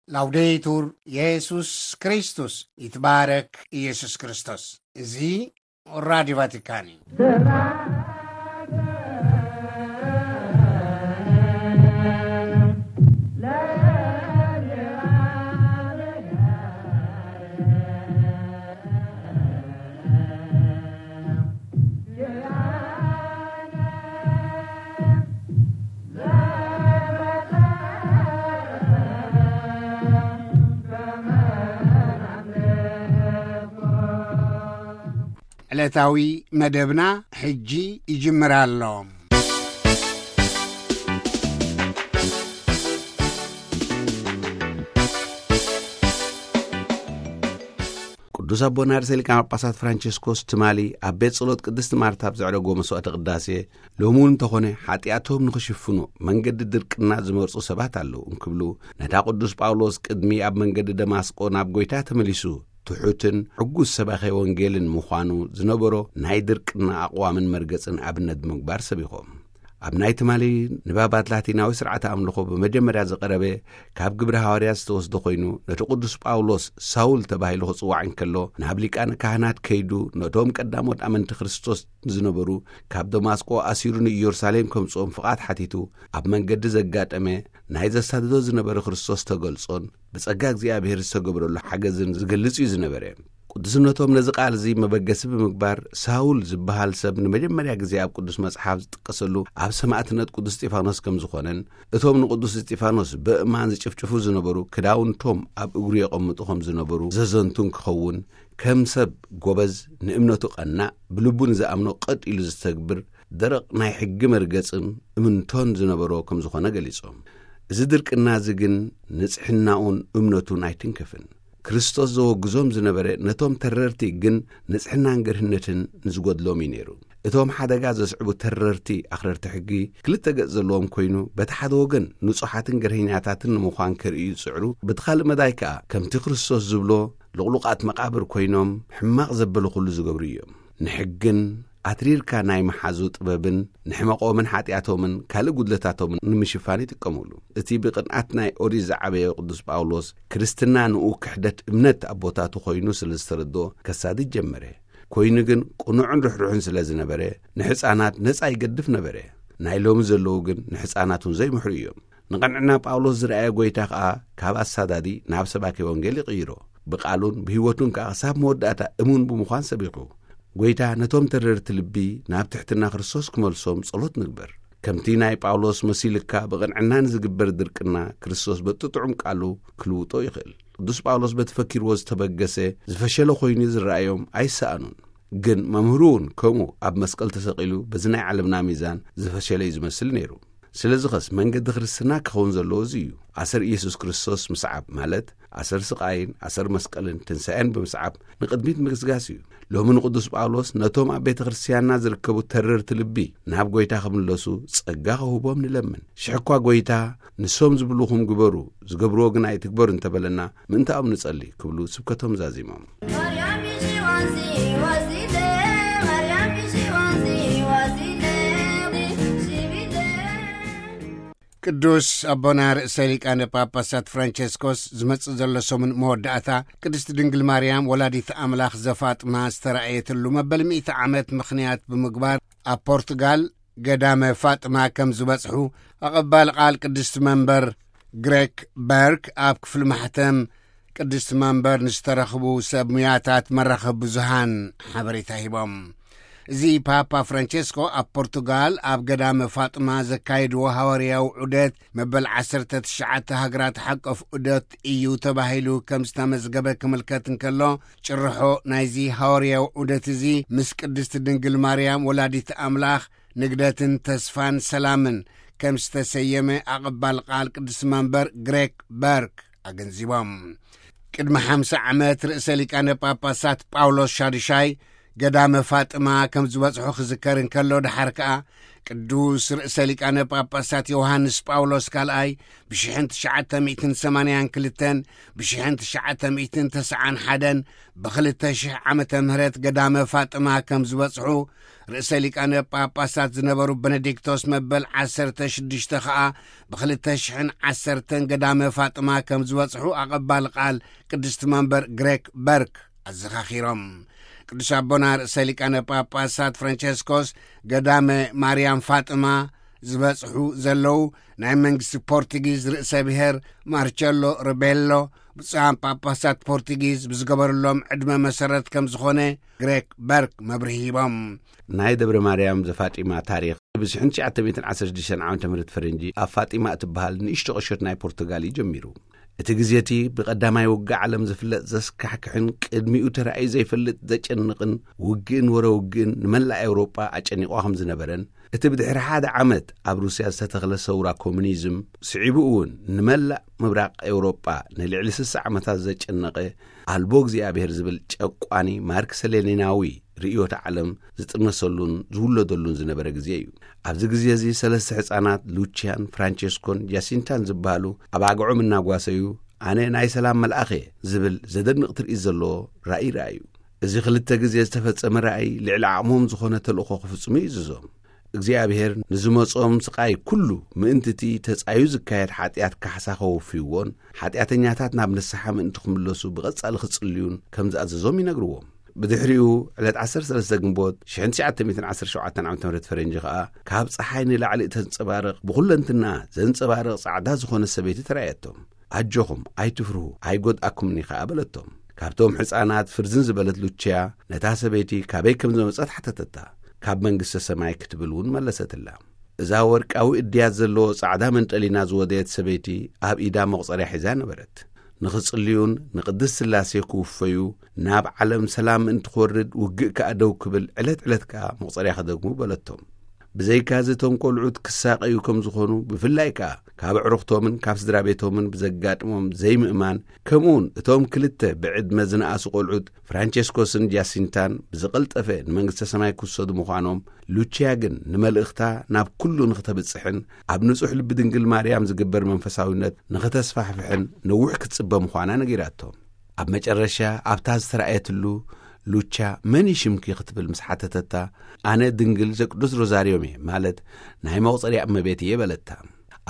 ላውዴቱር የሱስ ክርስቶስ፣ ይትባረክ ኢየሱስ ክርስቶስ። እዚ ራዲዮ ቫቲካን እዩ። ዕለታዊ መደብና ሕጂ ይጅምር ኣሎ። ቅዱስ ኣቦና ርእሰ ሊቃነ ጳጳሳት ፍራንቸስኮስ ትማሊ ኣብ ቤት ጸሎት ቅድስቲ ማርታ ኣብ ዘዕረጎ መስዋዕተ ቅዳሴ፣ ሎሚ እውን እንተኾነ ሓጢኣቶም ንኽሽፍኑ መንገዲ ድርቅና ዝመርጹ ሰባት ኣለዉ እንክብሉ፣ ነታ ቅዱስ ጳውሎስ ቅድሚ ኣብ መንገዲ ደማስቆ ናብ ጐይታ ተመሊሱ ትሑትን ዕጉስ ሰባኺ ወንጌልን ምዃኑ ዝነበሮ ናይ ድርቅና ኣቕዋምን መርገጽን ኣብነት ብምግባር ሰቢኾም። ኣብ ናይ ትማሊ ንባባት ላቲናዊ ስርዓተ ኣምልኾ ብመጀመርያ ዝቐረበ ካብ ግብሪ ሃዋርያት ዝተወስደ ኮይኑ፣ ነቲ ቅዱስ ጳውሎስ ሳውል ተባሂሉ ክጽዋዕ እንከሎ፣ ናብ ሊቃነ ካህናት ከይዱ ነቶም ቀዳሞት ኣመንቲ ክርስቶስ ዝነበሩ ካብ ደማስቆ ኣሲሩ ንኢየሩሳሌም ከምጽኦም ፍቓድ ሓቲቱ፣ ኣብ መንገዲ ዘጋጠመ ናይ ዘሳድዶ ዝነበረ ክርስቶስ ተገልጾን ብጸጋ እግዚኣብሔር ዝተገብረሉ ሓገዝን ዝገልጽ እዩ ዝነበረ። ቅዱስነቶም ነዚ ቃል እዚ መበገሲ ብምግባር፣ ሳውል ዝበሃል ሰብ ንመጀመርያ ግዜ ኣብ ቅዱስ መጽሓፍ ዝጥቀሰሉ ኣብ ሰማዕትነት ቅዱስ እስጢፋኖስ ከም ዝኾነን፣ እቶም ንቅዱስ እስጢፋኖስ በእማን ዝጭፍጭፉ ዝነበሩ ክዳውንቶም ኣብ እግሩ የቐምጡ ከም ዝነበሩ ዘዘንቱን ክኸውን፣ ከም ሰብ ጎበዝ፣ ንእምነቱ ቀናእ፣ ብልቡ ንዝኣምኖ ቀጥ ኢሉ ዝተግብር፣ ደረቕ ናይ ሕጊ መርገጽን እምንቶን ዝነበሮ ከም ዝኾነ ገሊጾም። እዚ ድርቅና እዚ ግን ንጽሕናኡን እምነቱን ኣይትንክፍን። ክርስቶስ ዘወግዞም ዝነበረ ነቶም ተረርቲ ግን ንጽሕናን ገርህነትን ንዝጎድሎም እዩ ነይሩ። እቶም ሓደጋ ዘስዕቡ ተረርቲ ኣኽረርቲ ሕጊ ክልተ ገጽ ዘለዎም ኮይኑ፣ በቲ ሓደ ወገን ንጹሓትን ገርህኛታትን ንምዃን ከርእዩ ይጽዕሩ፣ በቲ ካልእ መዳይ ከኣ ከምቲ ክርስቶስ ዝብሎ ልቕሉቓት መቓብር ኮይኖም ሕማቕ ዘበለ ኩሉ ዝገብሩ እዮም። ንሕግን ኣትሪርካ ናይ መሓዙ ጥበብን ንሕመቖምን ሓጢኣቶምን ካልእ ጉድለታቶምን ንምሽፋን ይጥቀሙሉ። እቲ ብቕንኣት ናይ ኦሪት ዝዓበየ ቅዱስ ጳውሎስ፣ ክርስትና ንኡ ክሕደት እምነት ኣቦታቱ ኮይኑ ስለ ዝተረድኦ ከሳድድ ጀመረ። ኮይኑ ግን ቅኑዕን ርሕሩሕን ስለ ዝነበረ፣ ንሕፃናት ነፃ ይገድፍ ነበረ። ናይ ሎሚ ዘለዉ ግን ንሕፃናት እውን ዘይምሕሩ እዮም። ንቐንዕና ጳውሎስ ዝረኣየ ጐይታ ኸኣ ካብ ኣሳዳዲ ናብ ሰባኪ ወንጌል ይቕይሮ። ብቓሉን ብህይወቱን ከኣ ክሳብ መወዳእታ እሙን ብምዃን ሰቢኹ። ጐይታ ነቶም ተረርቲ ልቢ ናብ ትሕትና ክርስቶስ ክመልሶም ጸሎት ንግበር። ከምቲ ናይ ጳውሎስ መሲልካ ብቕንዕና ንዝግበር ድርቅና ክርስቶስ በቲ ጥዑም ቃሉ ክልውጦ ይኽእል። ቅዱስ ጳውሎስ በቲ ፈኪርዎ ዝተበገሰ ዝፈሸለ ኮይኑ ዝረኣዮም ኣይሰኣኑን። ግን መምህሩ እውን ከምኡ ኣብ መስቀል ተሰቒሉ በዚ ናይ ዓለምና ሚዛን ዝፈሸለ እዩ ዝመስል ነይሩ። ስለዚ ኸስ መንገዲ ክርስትና ክኸውን ዘለዎ እዚ እዩ። ኣሰር ኢየሱስ ክርስቶስ ምስዓብ ማለት ኣሰር ስቓይን ኣሰር መስቀልን ትንሳኤን ብምስዓብ ንቕድሚት ምግስጋስ እዩ። ሎሚ ንቅዱስ ጳውሎስ ነቶም ኣብ ቤተ ክርስትያንና ዝርከቡ ተረርቲ ልቢ ናብ ጐይታ ክምለሱ ጸጋ ክህቦም ንለምን። ሽሕ እኳ ጐይታ ንሶም ዝብሉኹም ግበሩ፣ ዝገብርዎ ግን ኣይትግበሩ እንተበለና ምእንታኦም ንጸሊ ክብሉ ስብከቶም ዛዚሞም። ቅዱስ ኣቦና ርእሰ ሊቃነ ጳጳሳት ፍራንቸስኮስ ዝመጽእ ዘሎ ሰሙን መወዳእታ ቅድስቲ ድንግል ማርያም ወላዲት ኣምላኽ ዘፋጥማ ዝተራእየትሉ መበል ሚእቲ ዓመት ምኽንያት ብምግባር ኣብ ፖርቱጋል ገዳመ ፋጥማ ከም ዝበጽሑ ኣቐባል ቃል ቅድስቲ መንበር ግሬክ በርክ ኣብ ክፍሊ ማሕተም ቅድስቲ መንበር ንዝተረኽቡ ሰብ ሙያታት መራኸቢ ብዙሃን ሓበሬታ ሂቦም። እዚ ፓፓ ፍራንቸስኮ ኣብ ፖርቱጋል ኣብ ገዳመ ፋጥማ ዘካየድዎ ሃዋርያዊ ዑደት መበል ዓሰርተ ትሽዓተ ሃገራት ሓቆፍ ዑደት እዩ ተባሂሉ ከም ዝተመዝገበ ክምልከት እንከሎ፣ ጭርሖ ናይዚ ሃዋርያዊ ዑደት እዚ ምስ ቅድስቲ ድንግል ማርያም ወላዲት ኣምላኽ ንግደትን ተስፋን ሰላምን ከም ዝተሰየመ ኣቐባል ቃል ቅድስቲ መንበር ግሬክ በርክ ኣገንዚቦም። ቅድሚ ሓምሳ ዓመት ርእሰ ሊቃነ ጳጳሳት ጳውሎስ ሻዱሻይ ገዳመ ፋጥማ ከም ዝበጽሑ ክዝከር እንከሎ፣ ድሓር ከኣ ቅዱስ ርእሰ ሊቃነ ጳጳሳት ዮሃንስ ጳውሎስ ካልኣይ ብሽሕን ትሽዓተ ሚእትን ሰማንያን ክልተን ብሽሕን ትሽዓተ ሚእትን ተስዓን ሓደን ብኽልተ ሽሕ ዓመተ ምህረት ገዳመ ፋጥማ ከም ዝበጽሑ፣ ርእሰ ሊቃነ ጳጳሳት ዝነበሩ በነዲክቶስ መበል ዓሰርተ ሽዱሽተ ኸኣ ብኽልተ ሽሕን ዓሰርተን ገዳመ ፋጥማ ከም ዝበጽሑ ኣቐባሊ ቃል ቅድስቲ መንበር ግሬክ በርክ ኣዘኻኺሮም። ቅዱስ ኣቦና ርእሰ ሊቃነ ጳጳሳት ፍራንቸስኮስ ገዳመ ማርያም ፋጥማ ዝበጽሑ ዘለዉ፣ ናይ መንግስቲ ፖርቱጊዝ ርእሰ ብሔር ማርቸሎ ሪቤሎ ብፁዓን ጳጳሳት ፖርቱጊዝ ብዝገበርሎም ዕድመ መሰረት ከም ዝኾነ ግሬክ በርክ መብርሂ ሂቦም። ናይ ደብረ ማርያም ዘፋጢማ ታሪኽ ብሽሕን ትሽዓተ ሚእትን ዓሰርተ ሽዱሽተን ዓመተ ምህረት ፈረንጂ ኣብ ፋጢማ እትበሃል ንእሽቶ ቁሸት ናይ ፖርቱጋል እዩ ጀሚሩ። እቲ ግዜ እቲ ብቐዳማይ ውግእ ዓለም ዝፍለጥ ዘስካሕክሕን ቅድሚኡ ተራእዩ ዘይፈልጥ ዘጨንቕን ውግእን ወረ ውግእን ንመላእ ኤውሮጳ ኣጨኒቑ ከም ዝነበረን፣ እቲ ብድሕሪ ሓደ ዓመት ኣብ ሩስያ ዝተተኽለ ሰውራ ኮሙኒዝም ስዒቡ እውን ንመላእ ምብራቕ ኤውሮጳ ንልዕሊ ስሳ ዓመታት ዘጨነቐ ኣልቦ እግዚኣብሔር ዝብል ጨቋኒ ማርክሰ ሌኒናዊ ርእዮተ ዓለም ዝጥነሰሉን ዝውለደሉን ዝነበረ ግዜ እዩ። ኣብዚ ግዜ እዚ ሰለስተ ሕፃናት ሉቺያን፣ ፍራንቸስኮን ጃሲንታን ዝበሃሉ ኣብ ኣግዖም እናጓሰዩ፣ "ኣነ ናይ ሰላም መልኣኽ እየ" ዝብል ዘደንቕ ትርኢት ዘለዎ ራእይ ረኣዩ። እዚ ክልተ ግዜ ዝተፈጸመ ራእይ ልዕሊ ዓቕሞም ዝኾነ ተልእኾ ክፍጽሙ ይእዝዞም። እግዚኣብሔር ንዝመጾም ስቓይ ኩሉ ምእንቲ እቲ ተጻዩ ዝካየድ ሓጢኣት ካሕሳ ከወፍይዎን ሓጢኣተኛታት ናብ ንስሓ ምእንቲ ክምለሱ ብቐጻሊ ክጽልዩን ከም ዝኣዘዞም ይነግርዎም። ብድሕሪኡ ዕለት ዓሰርተ ሰለስተ ግንቦት ሽሕን ትሽዓተ ሚእትን ዓሰርተ ሸውዓተን ዓመተ ምህረት ፈረንጂ ከኣ ካብ ጸሓይ ንላዕሊ እተንጸባርቕ ብኹለንትና ዘንጸባርቕ ጻዕዳ ዝኾነ ሰበይቲ ተራእየቶም። "ኣጆኹም ኣይትፍርሁ ኣይጎድኣኩምኒ" ከኣ በለቶም። ካብቶም ሕፃናት ፍርዝን ዝበለት ሉቺያ ነታ ሰበይቲ ካበይ ከም ዝመጸት ሓተተታ። "ካብ መንግስተ ሰማይ" ክትብል እውን መለሰትላ። እዛ ወርቃዊ እድያት ዘለዎ ጻዕዳ መንጠሊና ዝወደየት ሰበይቲ ኣብ ኢዳ መቑጸርያ ሒዛ ነበረት። "ንኽጽልዩን ንቅድስት ስላሴ ክውፈዩ ናብ ዓለም ሰላም ምእንቲ ክወርድ ውግእ ከኣ ደው ክብል ዕለት ዕለት ከኣ መቑጸርያ ክደግሙ" በለቶም። ብዘይካዚ እቶም ቆልዑት ክሳቐዩ ከም ዝኾኑ፣ ብፍላይ ከኣ ካብ ኣዕሩኽቶምን ካብ ስድራ ቤቶምን ብዘጋጥሞም ዘይምእማን፣ ከምኡውን እቶም ክልተ ብዕድመ ዝነኣሱ ቆልዑት ፍራንቸስኮስን ጃሲንታን ብዝቐልጠፈ ንመንግስተ ሰማይ ክውሰዱ ምዃኖም፣ ሉቺያ ግን ንመልእኽታ ናብ ኩሉ ንኽተብጽሕን ኣብ ንጹሕ ልቢ ድንግል ማርያም ዝግበር መንፈሳዊነት ንኽተስፋሕፍሕን ነዊሕ ክትጽበ ምዃና ነጊራቶም። ኣብ መጨረሻ ኣብታ ዝተራእየትሉ፣ ሉቻ "መን እዩ ሽምኪ?" ክትብል ምስ ሓተተታ፣ "ኣነ ድንግል ዘቅዱስ ሮዛርዮም እየ" ማለት ናይ መቑጸርያ እመቤት እየ በለታ።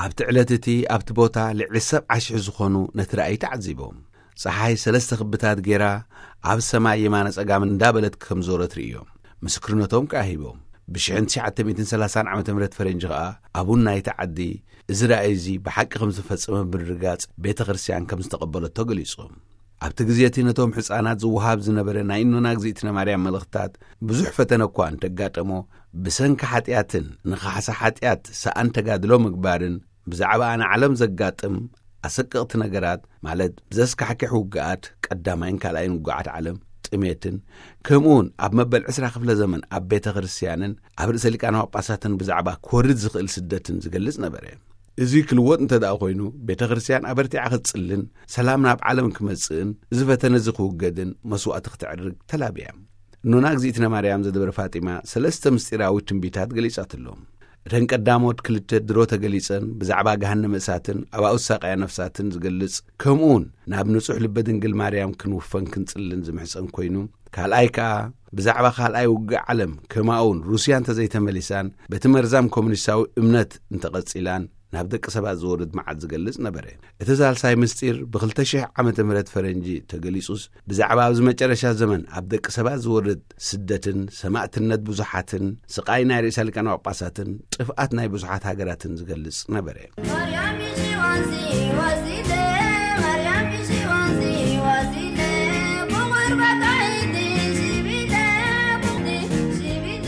ኣብቲ ዕለት እቲ ኣብቲ ቦታ ልዕሊ ሰብዓ ሽሕ ዝኾኑ ነቲ ራእይ ተዓዚቦም። ጸሓይ ሰለስተ ክብታት ጌራ ኣብ ሰማይ የማነ ጸጋም እንዳበለት ከም ዞረት ርእዮም። ምስክርነቶም ከኣ ሂቦም። ብሽሕን ትሽዓተ ሚእትን ሰላሳን ዓመተ ምህረት ፈረንጂ ከኣ ኣቡን ናይቲ ዓዲ እዚ ራእይ እዚ ብሓቂ ከም ዝተፈጸመ ብምርግጋጽ ቤተ ክርስቲያን ከም ዝተቐበለቶ ገሊጾም። ኣብቲ ግዜ እቲ ነቶም ሕጻናት ዝወሃብ ዝነበረ ናይ እኖና እግዚኣብእትነ ማርያም መልእኽታት ብዙሕ ፈተነ እኳ እንተጋጠሞ፣ ብሰንኪ ሓጢኣትን ንኻሕሳ ሓጢኣት ሰኣን ተጋድሎ ምግባርን ብዛዕባ ኣነ ዓለም ዘጋጥም ኣሰቀቕቲ ነገራት፣ ማለት ብዘስካሕክሕ ውግኣት፣ ቀዳማይን ካልኣይን ውግኣት ዓለም፣ ጥሜትን፣ ከምኡውን ኣብ መበል ዕስራ ክፍለ ዘመን ኣብ ቤተ ክርስቲያንን ኣብ ርእሰ ሊቃነ ጳጳሳትን ብዛዕባ ክወርድ ዝኽእል ስደትን ዝገልጽ ነበረ። እዚ ክልወጥ እንተ ደኣ ኮይኑ፣ ቤተ ክርስቲያን ኣበርቲዓ ክትጽልን ሰላም ናብ ዓለም ክመጽእን እዚ ፈተነ እዚ ክውገድን መስዋእቲ ክተዕርግ ተላብያ። እኖና እግዚኣብእትነ ማርያም ዘደብረ ፋጢማ ሰለስተ ምስጢራዊ ትንቢታት ገሊጻትሎም። እተን ቀዳሞት ክልተ ድሮ ተገሊጸን ብዛዕባ ገሃነመ እሳትን ኣባኡ ዝሳቐያ ነፍሳትን ዝገልጽ፣ ከምኡውን ናብ ንጹሕ ልበ ድንግል ማርያም ክንውፈን ክንጽልን ዝምሕጸን ኮይኑ፣ ካልኣይ ከኣ ብዛዕባ ካልኣይ ውግእ ዓለም ከማኡውን ሩስያ እንተዘይተመሊሳን በቲ መርዛም ኮሙኒስታዊ እምነት እንተቐጺላን ናብ ደቂ ሰባት ዝወርድ መዓት ዝገልጽ ነበረ። እቲ ሳልሳይ ምስጢር ብኽልተ ሽሕ ዓመተ ምህረት ፈረንጂ ተገሊጹስ፣ ብዛዕባ ኣብዚ መጨረሻ ዘመን ኣብ ደቂ ሰባት ዝወርድ ስደትን ሰማእትነት ብዙሓትን ስቓይ ናይ ርእሰ ሊቃነ ጳጳሳትን ጥፍኣት ናይ ብዙሓት ሃገራትን ዝገልጽ ነበረ። ማርያም ይሽዋንዚ ዋዚለ፣ ማርያም ይሽዋንዚ ዋዚለ፣ ብቑርባታ ኢዲ ሺቢለ፣ ቡቕዲ ሺቢለ።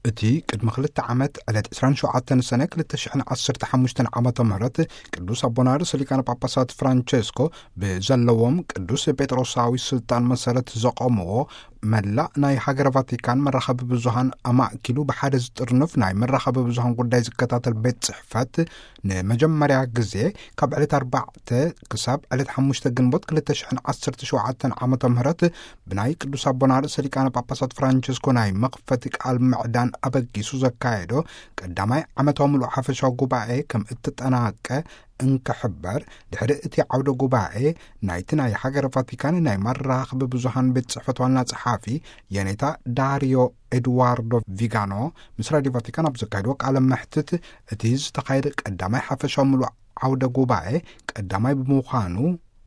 እቲ ቅድሚ ክልተ ዓመት ዕለት ዕስራን ሸውዓተን ሰነ ክልተ ሽሕን ዓሰርተ ሓሙሽተን ዓመተ ምህረት ቅዱስ ኣቦና ርእሰ ሊቃነ ጳጳሳት ፍራንቸስኮ ብዘለዎም ቅዱስ ጴጥሮሳዊ ስልጣን መሰረት ዘቆምዎ መላእ ናይ ሃገረ ቫቲካን መራኸቢ ብዙሃን ኣማእኪሉ ብሓደ ዝጥርንፍ ናይ መራኸቢ ብዙሃን ጉዳይ ዝከታተል ቤት ጽሕፈት፣ ንመጀመርያ ግዜ ካብ ዕለት ኣርባዕተ ክሳብ ዕለት ሓሙሽተ ግንቦት ክልተ ሽሕን ዓሰርተ ሸውዓተን ዓመተ ምህረት ብናይ ቅዱስ ኣቦና ርእሰ ሊቃነ ጳጳሳት ፍራንቸስኮ ናይ መኽፈቲ ቃል ምዕዳን ኣበጊሱ ዘካየዶ ቀዳማይ ዓመታዊ ምሉእ ሓፈሻዊ ጉባኤ ከም እተጠናቀ እንክሕበር፣ ድሕሪ እቲ ዓውደ ጉባኤ ናይቲ ናይ ሃገረ ቫቲካን ናይ መራኽቢ ብዙሃን ቤት ጽሕፈት ዋና ጸሓፊ የኔታ ዳሪዮ ኤድዋርዶ ቪጋኖ ምስ ራዲዮ ቫቲካን ኣብ ዘካየድዎ ቃለ መሕትት፣ እቲ ዝተኻየደ ቀዳማይ ሓፈሻዊ ምሉእ ዓውደ ጉባኤ ቀዳማይ ብምዃኑ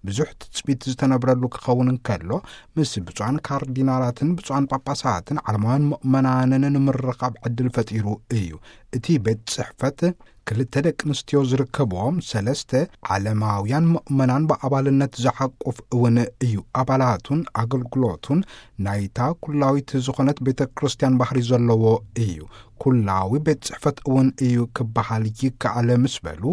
ብዙሕ ትጽቢት ዝተነብረሉ ክኸውን እንከሎ፣ ምስ ብፁዓን ካርዲናላትን ብፁዓን ጳጳሳትን ዓለማውያን ምእመናንን ንምርኻብ ዕድል ፈጢሩ እዩ። እቲ ቤት ጽሕፈት ክልተ ደቂ ኣንስትዮ ዝርከብዎም ሰለስተ ዓለማውያን ምእመናን ብኣባልነት ዝሓቁፍ እውን እዩ። ኣባላቱን ኣገልግሎቱን ናይታ ኩላዊት ዝኾነት ቤተ ክርስቲያን ባህሪ ዘለዎ እዩ። ኩላዊ ቤት ጽሕፈት እውን እዩ ክበሃል ይከኣል ምስ በሉ፣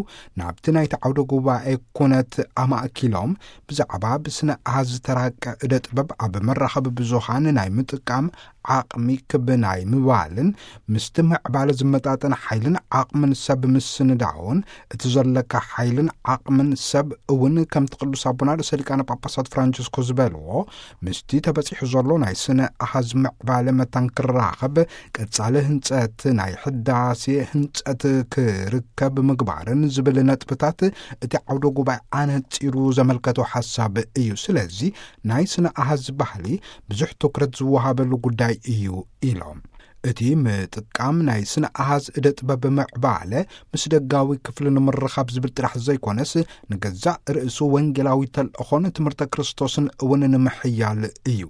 ናብቲ ናይቲ ዓውደ ጉባኤ ኩነት ኣማእኪሎም ብዛዕባ ብስነ ኣሃዝ ዝተራቀ እደ ጥበብ ኣብ መራኸቢ ብዙሃን ናይ ምጥቃም ዓቕሚ ክብ ናይ ምባልን ምስቲ ምዕባለ ዝመጣጠን ሓይልን ዓቕምን ሰብ ምስንዳውን፣ እቲ ዘለካ ሓይልን ዓቕምን ሰብ እውን ከምቲ ቅዱስ ኣቦና ርእሰ ሊቃነ ጳጳሳት ፍራንቸስኮ ዝበልዎ፣ ምስቲ ተበጺሑ ዘሎ ናይ ስነ ኣሃዝ ምዕባለ መታን ክራኸብ፣ ቀጻሊ ህንጸት ናይ ሕዳሴ ህንጸት ክርከብ ምግባርን ዝብል ነጥብታት እቲ ዓውደ ጉባኤ ኣነጺሩ ዘመልከቶ ሓሳብ እዩ። ስለዚ ናይ ስነ ኣሃዝ ባህሊ ብዙሕ ትኩረት ዝወሃበሉ ጉዳይ እዩ ኢሎም። እቲ ምጥቃም ናይ ስነ ኣሃዝ እደ ጥበብ ምዕባለ ምስ ደጋዊ ክፍሊ ንምርኻብ ዝብል ጥራሕ ዘይኮነስ፣ ንገዛእ ርእሱ ወንጌላዊ ተልእኾን ትምህርተ ክርስቶስን እውን ንምሕያል እዩ።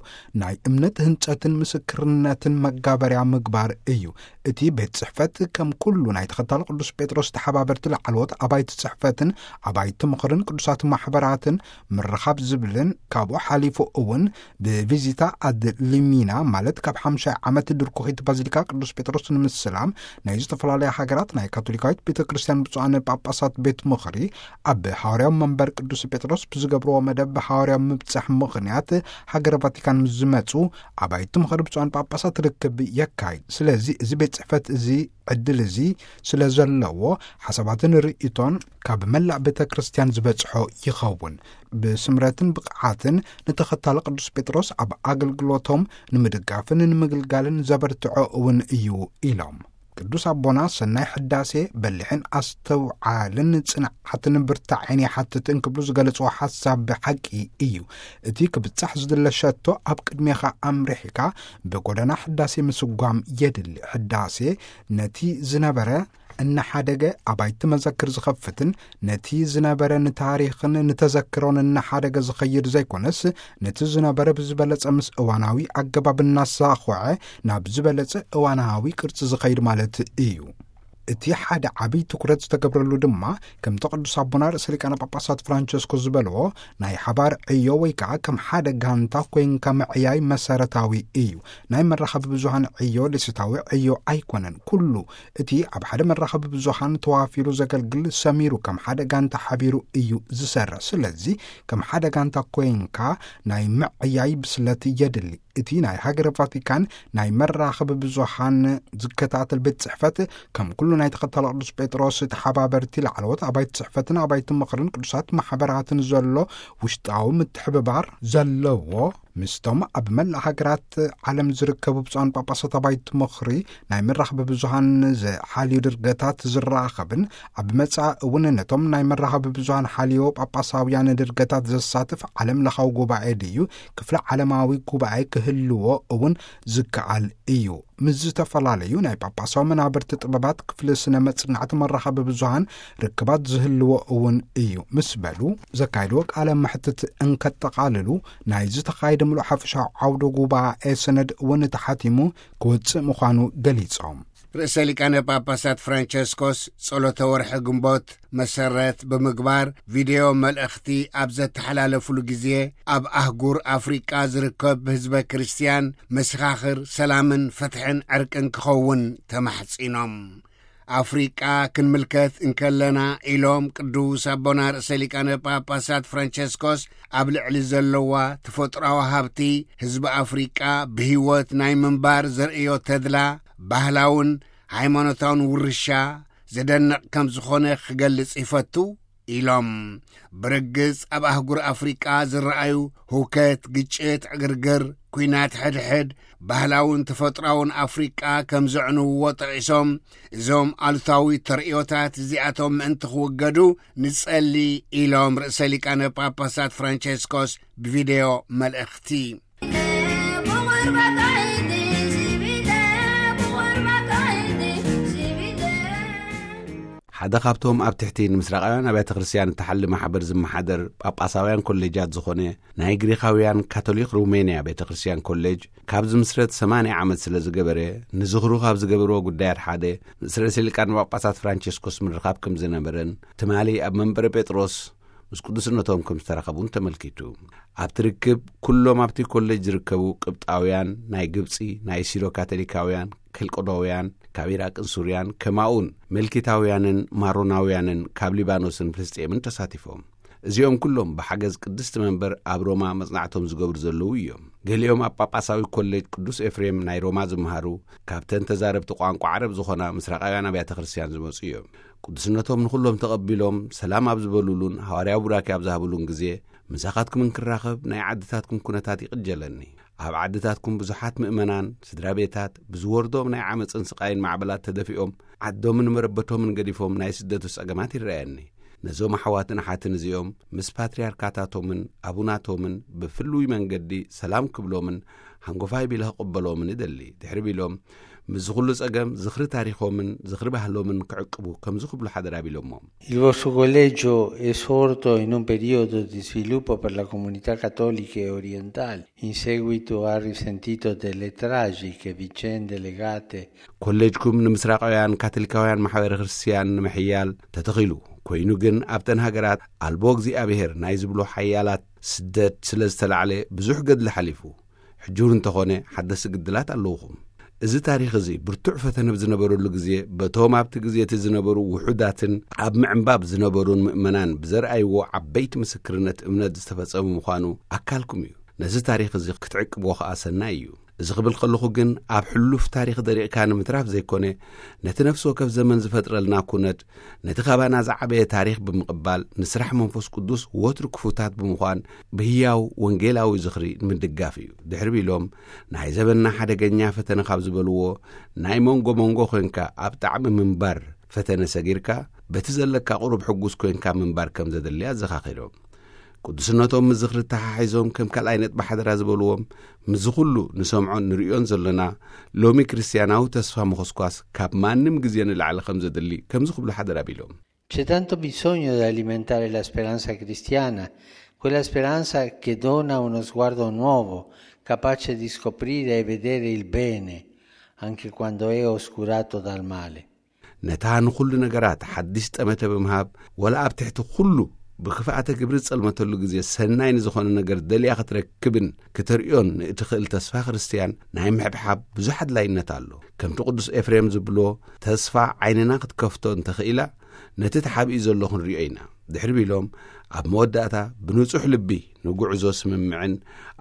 ናይ እምነት ህንጸትን ምስክርነትን መጋበርያ ምግባር እዩ። እቲ ቤት ጽሕፈት ከም ኩሉ ናይ ተኸታሊ ቅዱስ ጴጥሮስ ተሓባበርቲ ላዕለዎት ኣባይቲ ጽሕፈትን ኣባይቲ ምኽርን ቅዱሳት ማሕበራትን ምርኻብ ዝብልን ካብኡ ሓሊፉ እውን ብቪዚታ ኣድ ሊሚና ማለት ካብ ሓምሻይ ዓመት ድርኩኺት ባዚሊካ ቅዱስ ጴጥሮስ ንምስላም ናይ ዝተፈላለያ ሃገራት ናይ ካቶሊካዊት ቤተ ክርስቲያን ብፁዓን ጳጳሳት ቤት ምኽሪ ኣብ ሃዋርያዊ መንበር ቅዱስ ጴጥሮስ ብዝገብርዎ መደብ ሃዋርያዊ ምብጻሕ ምኽንያት ሃገረ ቫቲካን ምስ ዝመጹ ኣባይቲ ምኽሪ ብፁዓን ጳጳሳት ርክብ የካይድ። ስለዚ እዚ ቤት ጽሕፈት እዚ ዕድል እዚ ስለ ዘለዎ ሓሳባትን ርእይቶን ካብ መላእ ቤተ ክርስቲያን ዝበጽሖ ይኸውን። ብስምረትን ብቕዓትን ንተኸታሊ ቅዱስ ጴጥሮስ ኣብ ኣገልግሎቶም ንምድጋፍን ንምግልጋልን ዘበርትዖ እውን እዩ ኢሎም። ቅዱስ ኣቦና ሰናይ ሕዳሴ በሊሕን ኣስተውዓልን ጽንዓትን ብርታዕን ይሓትት እንክብሉ ዝገለጽዎ ሓሳብ ብሓቂ እዩ። እቲ ክብጻሕ ዝድለ ሸቶ ኣብ ቅድሜኻ ኣምሪሕካ ብጎደና ሕዳሴ ምስጓም የድሊ። ሕዳሴ ነቲ ዝነበረ እናሓደገ ኣባይቲ መዘክር ዝኸፍትን ነቲ ዝነበረ ንታሪኽን ንተዘክሮን እናሓደገ ዝኸይድ ዘይኮነስ፣ ነቲ ዝነበረ ብዝበለጸ ምስ እዋናዊ ኣገባብ እናሳኹዐ ናብ ዝበለጸ እዋናዊ ቅርጺ ዝኸይድ ማለት እዩ። እቲ ሓደ ዓብዪ ትኩረት ዝተገብረሉ ድማ፣ ከምቲ ቅዱስ ኣቦና ርእሰ ሊቃነ ጳጳሳት ፍራንቸስኮ ዝበልዎ፣ ናይ ሓባር ዕዮ ወይ ከዓ ከም ሓደ ጋንታ ኮይንካ ምዕያይ መሰረታዊ እዩ። ናይ መራኸቢ ብዙሃን ዕዮ ደሴታዊ ዕዮ ኣይኮነን። ኩሉ እቲ ኣብ ሓደ መራኸቢ ብዙሃን ተዋፊሩ ዘገልግል ሰሚሩ ከም ሓደ ጋንታ ሓቢሩ እዩ ዝሰርሕ። ስለዚ ከም ሓደ ጋንታ ኮይንካ ናይ ምዕያይ ብስለት የድሊ። እቲ ናይ ሃገረ ቫቲካን ናይ መራኸቢ ብዙሃን ዝከታተል ቤት ጽሕፈት ከም ኩሉ ናይ ተኸታሊ ቅዱስ ጴጥሮስ ተሓባበርቲ ላዕለዎት ኣባይቲ ጽሕፈትን ኣባይቲ ምኽርን ቅዱሳት ማሕበራትን ዘሎ ውሽጣዊ ምትሕብባር ዘለዎ ምስቶም ኣብ መላእ ሃገራት ዓለም ዝርከቡ ብፁዓን ጳጳሳት ኣባይቲ ምኽሪ ናይ መራኸቢ ብዙሃን ዝሓልዩ ድርገታት ዝራኸብን ኣብ መጻኢ እውን ነቶም ናይ መራኸቢ ብዙሃን ሓልዮ ጳጳሳውያን ድርገታት ዘሳትፍ ዓለም ለኻዊ ጉባኤ ድዩ ክፍለ ዓለማዊ ጉባኤ ክህልዎ እውን ዝከኣል እዩ። ምስ ዝተፈላለዩ ናይ ጳጳሳዊ መናብርቲ ጥበባት ክፍሊ ስነ መጽናዕቲ መራኸቢ ብዙሃን ርክባት ዝህልዎ እውን እዩ ምስ በሉ ዘካየድዎ ቃለ መሕትት እንከጠቓልሉ፣ ናይ ዝተኻየደ ምሉእ ሓፈሻዊ ዓውደ ጉባኤ ሰነድ እውን ተሓቲሙ ክወጽእ ምዃኑ ገሊጾም። ርእሰ ሊቃነ ጳጳሳት ፍራንቸስኮስ ጸሎተ ወርሒ ግንቦት መሰረት ብምግባር ቪድዮ መልእኽቲ ኣብ ዘተሓላለፉሉ ግዜ፣ ኣብ ኣህጉር ኣፍሪቃ ዝርከብ ህዝበ ክርስትያን መሰኻኽር ሰላምን ፍትሕን ዕርቅን ክኸውን ተማሕጺኖም። ኣፍሪቃ ክንምልከት እንከለና፣ ኢሎም ቅዱስ ኣቦና ርእሰ ሊቃነ ጳጳሳት ፍራንቸስኮስ፣ ኣብ ልዕሊ ዘለዋ ተፈጥሮኣዊ ሃብቲ ህዝቢ ኣፍሪቃ ብህይወት ናይ ምንባር ዘርእዮ ተድላ፣ ባህላውን ሃይማኖታውን ውርሻ ዘደንቕ ከም ዝኾነ ክገልጽ ይፈቱ ኢሎም። ብርግጽ ኣብ ኣህጉር ኣፍሪቃ ዝረኣዩ ህውከት፣ ግጭት፣ ዕግርግር፣ ኲናት ሕድሕድ ባህላውን ተፈጥሮኣውን ኣፍሪቃ ከም ዘዕንውዎ ጠቒሶም፣ እዞም ኣሉታዊ ተርእዮታት እዚኣቶም ምእንቲ ክውገዱ ንጸሊ ኢሎም ርእሰ ሊቃነ ጳጳሳት ፍራንቸስኮስ ብቪድዮ መልእኽቲ። ሓደ ካብቶም ኣብ ትሕቲ ንምስራቃውያን ኣብያተ ክርስቲያን እተሓሊ ማሕበር ዝመሓደር ጳጳሳውያን ኮሌጃት ዝኾነ ናይ ግሪኻውያን ካቶሊክ ሩሜንያ ቤተ ክርስቲያን ኮሌጅ ካብ ዝምስረት ሰማንያ ዓመት ስለ ዝገበረ፣ ንዝኽሩ ካብ ዝገበርዎ ጉዳያት ሓደ፣ ምስ ርእሰ ሊቃነ ጳጳሳት ፍራንቸስኮስ ምርኻብ ከም ዝነበረን፣ ትማሊ ኣብ መንበረ ጴጥሮስ ምስ ቅዱስነቶም ከም ዝተራኸቡን ተመልኪቱ። ኣብቲ ርክብ፣ ኩሎም ኣብቲ ኮሌጅ ዝርከቡ ቅብጣውያን፣ ናይ ግብጺ፣ ናይ ሲሮ ካቶሊካውያን፣ ከልቆዶውያን፣ ካብ ኢራቅን ሱርያን፣ ከማኡን መልኪታውያንን ማሮናውያንን ካብ ሊባኖስን ፍልስጤምን ተሳቲፎም። እዚኦም ኩሎም ብሓገዝ ቅድስቲ መንበር ኣብ ሮማ መጽናዕቶም ዝገብሩ ዘለዉ እዮም። ገሊኦም ኣብ ጳጳሳዊ ኮሌጅ ቅዱስ ኤፍሬም ናይ ሮማ ዝመሃሩ፣ ካብተን ተዛረብቲ ቋንቋ ዓረብ ዝኾና ምስራቃውያን ኣብያተ ክርስቲያን ዝመጹ እዮም። ቅዱስነቶም ንኹሎም ተቐቢሎም፣ ሰላም ኣብ ዝበሉሉን ሃዋርያዊ ቡራኬ ኣብ ዝሃብሉን ግዜ፣ ምሳኻትኩም እንክራኸብ ናይ ዓድታትኩም ኩነታት ይቕጀለኒ። ኣብ ዓድታትኩም ብዙሓት ምእመናን፣ ስድራ ቤታት፣ ብዝወርዶም ናይ ዓመጽን ስቓይን ማዕበላት ተደፊኦም፣ ዓዶምን መረበቶምን ገዲፎም ናይ ስደቱ ጸገማት ይረኣየኒ። ነዞም ኣሕዋትን ኣሓትን እዚኦም፣ ምስ ፓትርያርካታቶምን ኣቡናቶምን ብፍሉይ መንገዲ ሰላም ክብሎምን ሃንጎፋይ ቢለ ክቕበሎምን እደሊ። ድሕሪ ቢሎም፣ ምስዚ ኩሉ ጸገም፣ ዝኽሪ ታሪኾምን ዝኽሪ ባህሎምን ክዕቅቡ ከምዚ ክብሉ ሓደራ ቢሎሞም። Il vostro collegio è sorto in un periodo di sviluppo per la comunità cattolica e orientale, in seguito al risentito delle tragiche vicende legate ኮሌጅኩም ንምስራቃውያን ካቶሊካውያን ማሕበረ ክርስቲያን ንምሕያል ተተኺሉ ኮይኑ፣ ግን ኣብተን ሃገራት ኣልቦ እግዚኣብሔር ናይ ዝብሎ ሓያላት ስደት ስለ ዝተላዕለ ብዙሕ ገድሊ ሓሊፉ። ሕጂ እውን እንተኾነ ሓደስቲ ግድላት ኣለውኹም። እዚ ታሪኽ እዚ ብርቱዕ ፈተነ ብዝነበረሉ ግዜ፣ በቶም ኣብቲ ግዜ እቲ ዝነበሩ ውሑዳትን ኣብ ምዕንባብ ዝነበሩን ምእመናን ብዘርኣይዎ ዓበይቲ ምስክርነት እምነት ዝተፈጸመ ምዃኑ ኣካልኩም እዩ። ነዚ ታሪኽ እዚ ክትዕቅብዎ ኸኣ ሰናይ እዩ። እዚ ክብል ከለኹ ግን፣ ኣብ ሕሉፍ ታሪኽ ደሪቕካ ንምትራፍ ዘይኮነ፣ ነቲ ነፍሲ ወከፍ ዘመን ዝፈጥረልና ኩነት፣ ነቲ ካባና ዝዓበየ ታሪኽ ብምቕባል፣ ንስራሕ መንፈስ ቅዱስ ወትሩ ክፉታት ብምዃን፣ ብህያው ወንጌላዊ ዝኽሪ ንምድጋፍ እዩ። ድሕሪ ቢሎም፣ ናይ ዘበንና ሓደገኛ ፈተነ ካብ ዝበልዎ፣ ናይ መንጎ መንጎ ኮንካ ኣብ ጣዕሚ ምንባር ፈተነ ሰጊርካ፣ በቲ ዘለካ ቁሩብ ሕጉስ ኮንካ ምንባር ከም ዘድሊ ኣዘኻኺሮም። ቅዱስነቶም ምስ ዝኽሪ ተሓሒዞም ከም ካልኣይ ነጥቢ ሓደራ ዝበልዎም፣ ምስዚ ኩሉ ንሰምዖን ንርእዮን ዘሎና፣ ሎሚ ክርስትያናዊ ተስፋ ምኹስኳስ ካብ ማንም ግዜ ንላዕሊ ከም ዘድሊ ከምዚ ክብሉ ሓደራ ቢሎም። C'è tanto bisogno di alimentare la speranza cristiana, quella speranza che dona uno sguardo nuovo, capace di scoprire e vedere il bene, anche quando è oscurato dal male. ነታ ንኹሉ ነገራት ሓድሽ ጠመተ ብምሃብ፣ ወላ ኣብ ትሕቲ ኩሉ ብክፍኣተ ግብሪ ዝጸልመተሉ ግዜ ሰናይ ንዝኾነ ነገር ደልያ ክትረክብን ክትርእዮን ንእትኽእል ተስፋ ክርስትያን ናይ ምሕብሓብ ብዙሕ ኣድላይነት ኣሎ። ከምቲ ቅዱስ ኤፍሬም ዝብሎ፣ ተስፋ ዓይንና ክትከፍቶ እንተኽኢላ፣ ነቲ ተሓቢኡ ዘሎ ክንርእዮ ኢና። ድሕሪ ቢሎም፣ ኣብ መወዳእታ ብንጹሕ ልቢ ንጉዕዞ ስምምዕን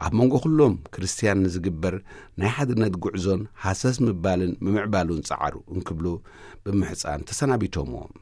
ኣብ መንጎ ኩሎም ክርስትያን ንዝግበር ናይ ሓድነት ጉዕዞን ሃሰስ ምባልን ምምዕባሉን ጸዓሩ እንክብሉ ብምሕጻን ተሰናቢቶምዎም።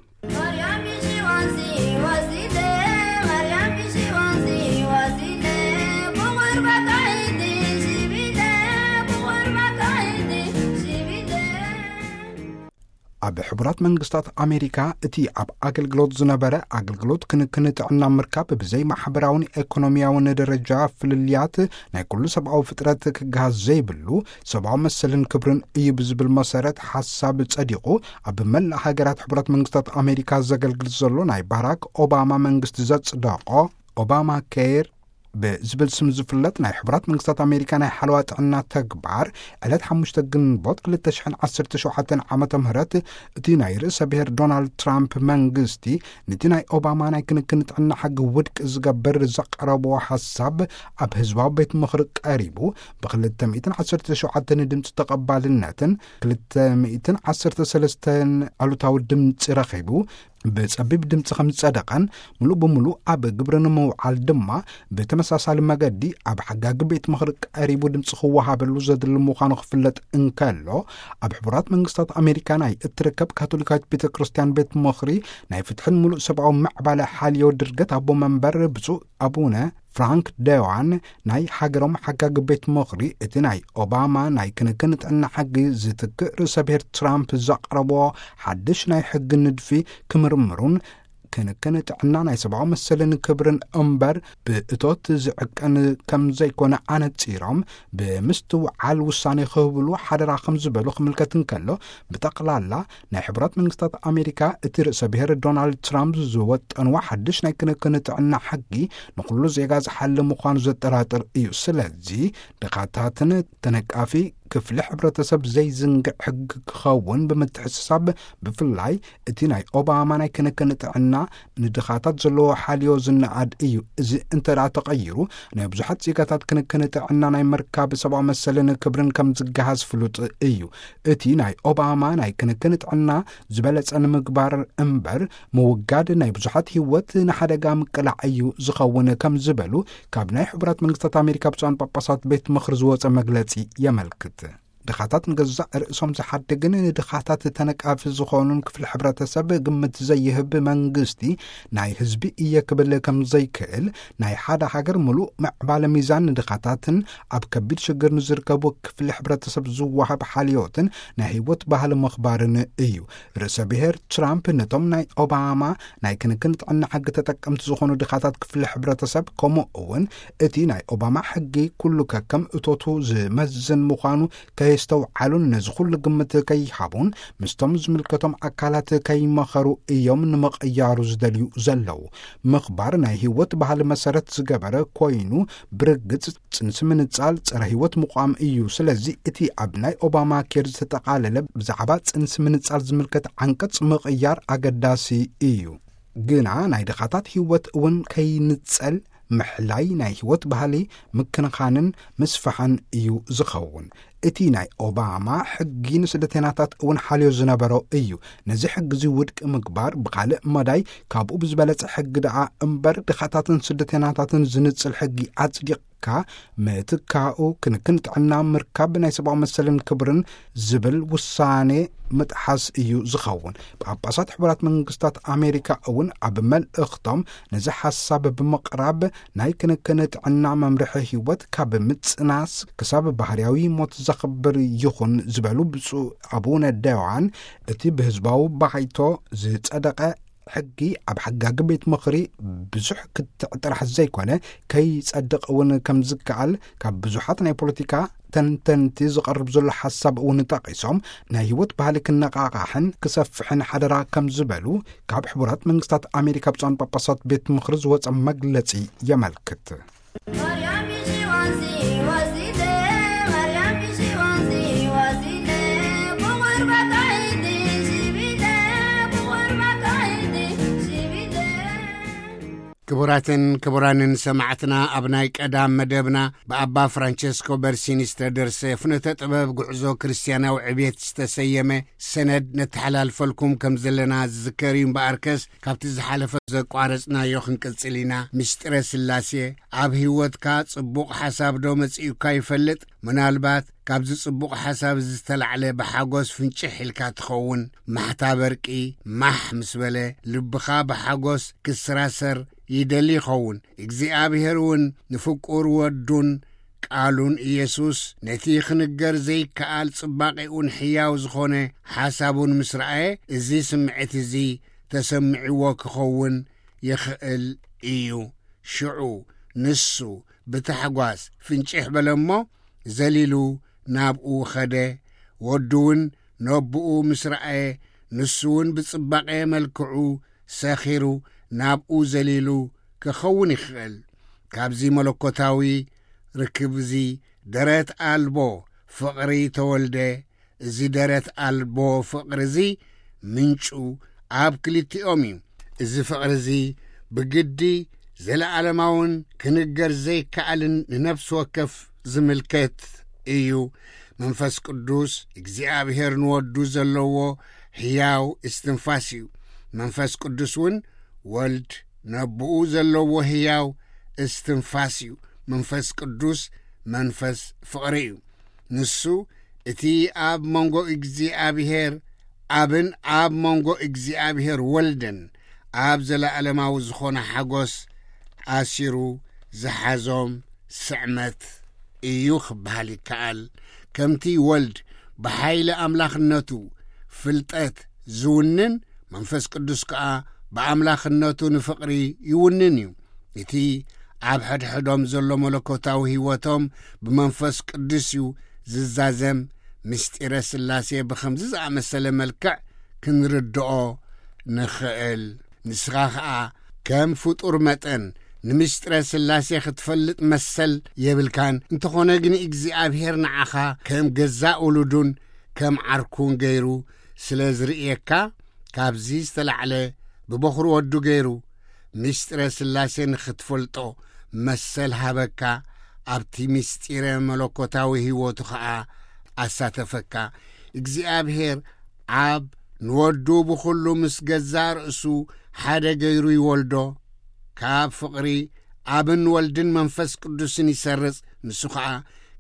ኣብ ሕቡራት መንግስታት ኣሜሪካ እቲ ኣብ ኣገልግሎት ዝነበረ ኣገልግሎት ክንክን ጥዕና ምርካብ ብዘይ ማሕበራውን ኤኮኖሚያውን ደረጃ ፍልልያት ናይ ኩሉ ሰብኣዊ ፍጥረት ክገሃስ ዘይብሉ ሰብኣዊ መሰልን ክብርን እዩ ብዝብል መሰረት ሓሳብ ጸዲቑ ኣብ መላእ ሃገራት ሕቡራት መንግስታት ኣሜሪካ ዘገልግል ዘሎ ናይ ባራክ ኦባማ መንግስቲ ዘጽደቖ ኦባማ ኬር ብዝብል ስም ዝፍለጥ ናይ ሕቡራት መንግስታት ኣሜሪካ ናይ ሓለዋ ጥዕና ተግባር፣ ዕለት ሓሙሽተ ግንቦት ክልተ ሽሕን ዓሰርተ ሸውዓተን ዓመተ ምህረት፣ እቲ ናይ ርእሰ ብሔር ዶናልድ ትራምፕ መንግስቲ፣ ነቲ ናይ ኦባማ ናይ ክንክን ጥዕና ሕጊ ውድቂ ዝገብር ዘቕረብዎ ሓሳብ ኣብ ህዝባዊ ቤት ምኽሪ ቀሪቡ፣ ብክልተ ሚእትን ዓሰርተ ሸውዓተን ድምፂ ተቐባልነትን ክልተ ሚእትን ዓሰርተ ሰለስተን ኣሉታዊ ድምፂ ረኺቡ፣ ብጸቢብ ድምፂ ከም ዝጸደቐን፣ ምሉእ ብምሉእ ኣብ ግብሪ ንምውዓል ድማ ብተመሳሳሊ መገዲ ኣብ ሓጋጊ ቤት ምኽሪ ቀሪቡ ድምፂ ክወሃበሉ ዘድሊ ምዃኑ ክፍለጥ እንከሎ፣ ኣብ ሕቡራት መንግስታት ኣሜሪካ ናይ እትርከብ ካቶሊካዊት ቤተ ክርስቲያን ቤት ምኽሪ ናይ ፍትሕን ምሉእ ሰብኣዊ ምዕባለ ሓልዮ ድርገት ኣቦ መንበር ብፁዕ ኣቡነ ፍራንክ ደዋን ናይ ሃገሮም ሓጋጊ ቤት ምኽሪ፣ እቲ ናይ ኦባማ ናይ ክንክን ጥዕና ሕጊ ዝትክእ ርእሰ ብሔር ትራምፕ ዘቕረቦ ሓድሽ ናይ ሕጊ ንድፊ ክምርምሩን፣ ክንክን ጥዕና ናይ ሰብኣዊ መሰልን ክብርን እምበር ብእቶት ዝዕቀን ከም ዘይኮነ ኣነጺሮም፣ ብምስትውዓል ውሳኔ ክህብሉ ሓደራ ከም ዝበሉ ክምልከት እንከሎ፣ ብጠቕላላ ናይ ሕቡራት መንግስታት ኣሜሪካ እቲ ርእሰ ብሔር ዶናልድ ትራምፕ ዝወጠንዎ ሓድሽ ናይ ክንክን ጥዕና ሕጊ ንኹሉ ዜጋ ዝሓሊ ምዃኑ ዘጠራጥር እዩ። ስለዚ ድኻታትን ተነቃፊ ክፍሊ ሕብረተሰብ ዘይዝንግዕ ሕጊ ክኸውን ብምትሕስሳብ፣ ብፍላይ እቲ ናይ ኦባማ ናይ ክንክን ጥዕና ንድኻታት ዘለዎ ሓልዮ ዝነኣድ እዩ። እዚ እንተ ደኣ ተቐይሩ፣ ናይ ብዙሓት ዜጋታት ክንክን ጥዕና ናይ ምርካብ ሰብኣዊ መሰልን ክብርን ከም ዝገሃስ ፍሉጥ እዩ። እቲ ናይ ኦባማ ናይ ክንክን ጥዕና ዝበለጸ ንምግባር እምበር፣ ምውጋድ ናይ ብዙሓት ህይወት ንሓደጋ ምቅላዕ እዩ ዝኸውን ከም ዝበሉ ካብ ናይ ሕቡራት መንግስታት ኣሜሪካ ብፁዓን ጳጳሳት ቤት ምኽሪ ዝወጸ መግለጺ የመልክት። ድኻታት ንገዛእ ርእሶም ዝሓድግን ንድኻታት ተነቃፊ ዝኾኑን ክፍሊ ሕብረተሰብ ግምት ዘይህብ መንግስቲ ናይ ህዝቢ እየ ክብል ከም ዘይክእል፣ ናይ ሓደ ሃገር ምሉእ ምዕባለ ሚዛን ንድኻታትን ኣብ ከቢድ ሽግር ንዝርከቡ ክፍሊ ሕብረተሰብ ዝወሃብ ሓልዮትን ናይ ህይወት ባህሊ ምኽባርን እዩ። ርእሰ ብሔር ትራምፕ ነቶም ናይ ኦባማ ናይ ክንክን ጥዕና ሕጊ ተጠቀምቲ ዝኾኑ ድኻታት ክፍሊ ሕብረተሰብ፣ ከምኡ እውን እቲ ናይ ኦባማ ሕጊ ኩሉ ከከም እቶቱ ዝመዝን ምዃኑ ከየስተውዓሉን ነዚ ኩሉ ግምት ከይሃቡን ምስቶም ዝምልከቶም ኣካላት ከይመኸሩ እዮም ንምቕያሩ ዝደልዩ ዘለዉ። ምኽባር ናይ ህይወት ባህሊ መሰረት ዝገበረ ኮይኑ፣ ብርግጽ ጽንሲ ምንጻል ጸረ ህይወት ምቋም እዩ። ስለዚ እቲ ኣብ ናይ ኦባማ ኬር ዝተጠቓለለ ብዛዕባ ጽንሲ ምንጻል ዝምልከት ዓንቀጽ ምቕያር ኣገዳሲ እዩ። ግና ናይ ድኻታት ህይወት እውን ከይንጸል ምሕላይ ናይ ህይወት ባህሊ ምክንኻንን ምስፋሕን እዩ ዝኸውን። እቲ ናይ ኦባማ ሕጊ ንስደተኛታት እውን ሓልዮ ዝነበሮ እዩ። ነዚ ሕጊ እዚ ውድቂ ምግባር ብኻልእ መዳይ ካብኡ ብዝበለጸ ሕጊ ደኣ እምበር ድኻታትን ስደተኛታትን ዝንጽል ሕጊ ኣጽዲቕካ ምትካኡ ክንክን ጥዕና ምርካብ ናይ ሰብኣዊ መሰልን ክብርን ዝብል ውሳኔ ምጥሓስ እዩ ዝኸውን። ጳጳሳት ሕቡራት መንግስታት ኣሜሪካ እውን ኣብ መልእኽቶም ነዚ ሓሳብ ብምቕራብ ናይ ክንክን ጥዕና መምርሒ ህይወት ካብ ምጽናስ ክሳብ ባህርያዊ ሞት ዘኽብር ይኹን ዝበሉ ብፁዕ ኣቡነ ደዋን እቲ ብህዝባዊ ባይቶ ዝጸደቐ ሕጊ ኣብ ሓጋጊ ቤት ምኽሪ ብዙሕ ክትዕ ጥራሕ ዘይኮነ ከይጸድቕ እውን ከም ዝከኣል ካብ ብዙሓት ናይ ፖለቲካ ተንተንቲ ዝቐርብ ዘሎ ሓሳብ እውን ጠቒሶም ናይ ህይወት ባህሊ ክነቓቓሕን ክሰፍሕን ሓደራ ከም ዝበሉ ካብ ሕቡራት መንግስታት ኣሜሪካ ብፁዓን ጳጳሳት ቤት ምኽሪ ዝወጸ መግለጺ የመልክት። ክቡራትን ክቡራንን ሰማዕትና፣ ኣብ ናይ ቀዳም መደብና ብኣባ ፍራንቸስኮ በርሲኒ ዝተደርሰ ፍኖተ ጥበብ ጉዕዞ ክርስትያናዊ ዕብየት ዝተሰየመ ሰነድ ነተሓላልፈልኩም ከም ዘለና ዝዝከር እዩ። እምበኣርከስ ካብቲ ዝሓለፈ ዘቋረጽናዮ ክንቅጽል ኢና። ምስጢረ ስላሴ ኣብ ህይወትካ ጽቡቕ ሓሳብ ዶ መጺኡካ ይፈልጥ? ምናልባት ካብዚ ጽቡቕ ሓሳብ ዝተላዕለ ብሓጎስ ፍንጭሕ ኢልካ ትኸውን። ማሕታ በርቂ ማሕ ምስ በለ፣ ልብኻ ብሓጎስ ክስራሰር ይደሊ ይኸውን። እግዚኣብሔር እውን ንፍቁር ወዱን ቃሉን ኢየሱስ ነቲ ክንገር ዘይከኣል ጽባቄኡን ሕያው ዝኾነ ሓሳቡን ምስ ረኣየ፣ እዚ ስምዒት እዚ ተሰሚዕዎ ክኸውን ይኽእል እዩ። ሽዑ ንሱ ብታሕጓስ ፍንጭሕ በለ እሞ፣ ዘሊሉ ናብኡ ኸደ። ወዱ እውን ነቦኡ ምስ ረኣየ፣ ንሱ እውን ብጽባቐ መልክዑ ሰኺሩ ናብኡ ዘሊሉ ክኸውን ይኽእል። ካብዚ መለኮታዊ ርክብ እዚ ደረት ኣልቦ ፍቕሪ ተወልደ። እዚ ደረት ኣልቦ ፍቕሪ እዚ ምንጩ ኣብ ክልቲኦም እዩ። እዚ ፍቕሪ እዚ ብግዲ ዘለኣለማውን ክንገር ዘይከኣልን ንነፍሲ ወከፍ ዝምልከት እዩ። መንፈስ ቅዱስ እግዚኣብሔር ንወዱ ዘለዎ ህያው እስትንፋስ እዩ። መንፈስ ቅዱስ እውን ወልድ ነብኡ ዘለዎ ህያው እስትንፋስ እዩ። መንፈስ ቅዱስ መንፈስ ፍቕሪ እዩ። ንሱ እቲ ኣብ መንጎ እግዚኣብሔር ኣብን ኣብ መንጎ እግዚኣብሔር ወልድን ኣብ ዘለኣለማዊ ዝኾነ ሓጎስ ኣሲሩ ዝሓዞም ስዕመት እዩ ክበሃል ይከኣል። ከምቲ ወልድ ብሓይሊ ኣምላኽነቱ ፍልጠት ዝውንን፣ መንፈስ ቅዱስ ከኣ ብኣምላኽነቱ ንፍቕሪ ይውንን እዩ። እቲ ኣብ ሕድሕዶም ዘሎ መለኮታዊ ህይወቶም ብመንፈስ ቅዱስ እዩ ዝዛዘም። ምስጢረ ስላሴ ብኸምዚ ዝኣመሰለ መልክዕ ክንርድኦ ንኽእል። ንስኻ ኸኣ ከም ፍጡር መጠን ንምስጢረ ስላሴ ክትፈልጥ መሰል የብልካን። እንተኾነ ግን እግዚኣብሔር ንዓኻ ከም ገዛእ ውሉዱን ከም ዓርኩን ገይሩ ስለ ዝርእየካ፣ ካብዚ ዝተላዕለ ብበኹሪ ወዱ ገይሩ ምስጢረ ስላሴ ንኽትፈልጦ መሰል ሃበካ፣ ኣብቲ ምስጢረ መለኮታዊ ህይወቱ ኸኣ ኣሳተፈካ። እግዚኣብሔር ኣብ ንወዱ ብኹሉ ምስ ገዛእ ርእሱ ሓደ ገይሩ ይወልዶ። ካብ ፍቕሪ ኣብን ወልድን መንፈስ ቅዱስን ይሰርጽ። ንሱ ኸኣ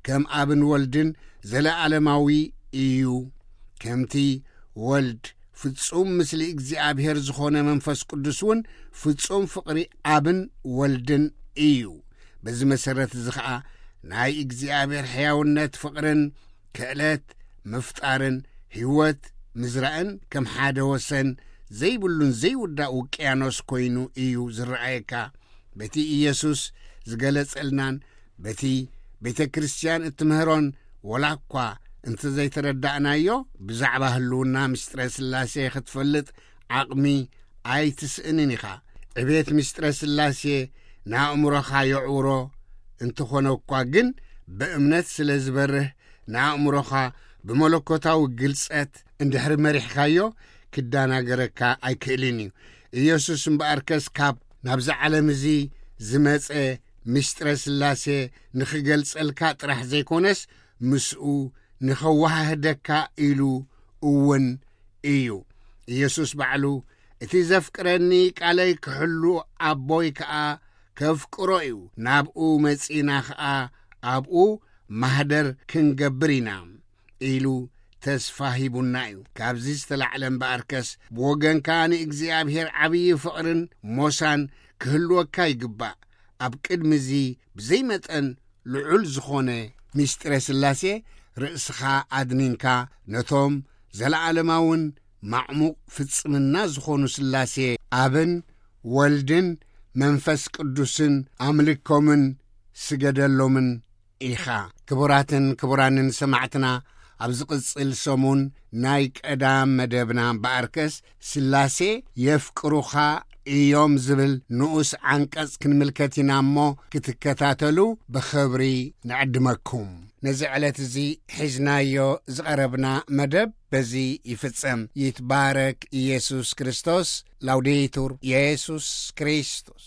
ከም ኣብን ወልድን ዘለኣለማዊ እዩ። ከምቲ ወልድ ፍጹም ምስሊ እግዚኣብሔር ዝኾነ መንፈስ ቅዱስ እውን ፍጹም ፍቕሪ ኣብን ወልድን እዩ። በዚ መሰረት እዚ ኸኣ ናይ እግዚኣብሔር ሕያውነት ፍቕርን ክእለት ምፍጣርን ህይወት ምዝራእን ከም ሓደ ወሰን ዘይብሉን ዘይውዳእ ውቅያኖስ ኮይኑ እዩ ዝረኣየካ። በቲ ኢየሱስ ዝገለጸልናን በቲ ቤተ ክርስቲያን እትምህሮን ወላ እኳ እንተ ዘይተረዳእናዮ፣ ብዛዕባ ህልውና ምስጢረ ስላሴ ክትፈልጥ ዓቕሚ ኣይትስእንን ኢኻ። ዕቤት ምስጢረ ስላሴ ንኣእምሮኻ የዕውሮ እንተኾነ እኳ ግን፣ ብእምነት ስለ ዝበርህ ንኣእምሮኻ ብመለኮታዊ ግልጸት እንድሕሪ መሪሕካዮ ክዳናገረካ ኣይክእልን እዩ። ኢየሱስ እምበኣርከስ ካብ ናብዚ ዓለም እዚ ዝመጸ ምስጢረ ስላሴ ንኽገልጸልካ ጥራሕ ዘይኮነስ ምስኡ ንኸወሃህደካ ኢሉ እውን እዩ። ኢየሱስ ባዕሉ፣ "እቲ ዘፍቅረኒ ቃለይ ክሕሉ ኣቦይ ከኣ ከፍቅሮ እዩ፣ ናብኡ መጺና ኸኣ ኣብኡ ማህደር ክንገብር ኢና" ኢሉ ተስፋ ሂቡና እዩ። ካብዚ ዝተላዕለ እምበኣርከስ ብወገንካ ንእግዚኣብሔር ዓብዪ ፍቕርን ሞሳን ክህልወካ ይግባእ። ኣብ ቅድሚ እዚ ብዘይ መጠን ልዑል ዝኾነ ምስጢረ ስላሴ ርእስኻ ኣድኒንካ ነቶም ዘለዓለማውን ማዕሙቕ ፍጽምና ዝኾኑ ስላሴ ኣብን ወልድን መንፈስ ቅዱስን ኣምልኮምን ስገደሎምን ኢኻ። ክቡራትን ክቡራንን ሰማዕትና፣ ኣብ ዝቕጽል ሰሙን ናይ ቀዳም መደብና እምበኣርከስ ስላሴ የፍቅሩኻ እዮም ዝብል ንኡስ ዓንቀጽ ክንምልከት ኢና እሞ፣ ክትከታተሉ ብኽብሪ ንዕድመኩም። ነዚ ዕለት እዚ ሒዝናዮ ዝቐረብና መደብ በዚ ይፍጸም። ይትባረክ ኢየሱስ ክርስቶስ። ላውዴቱር ኢየሱስ ክርስቶስ።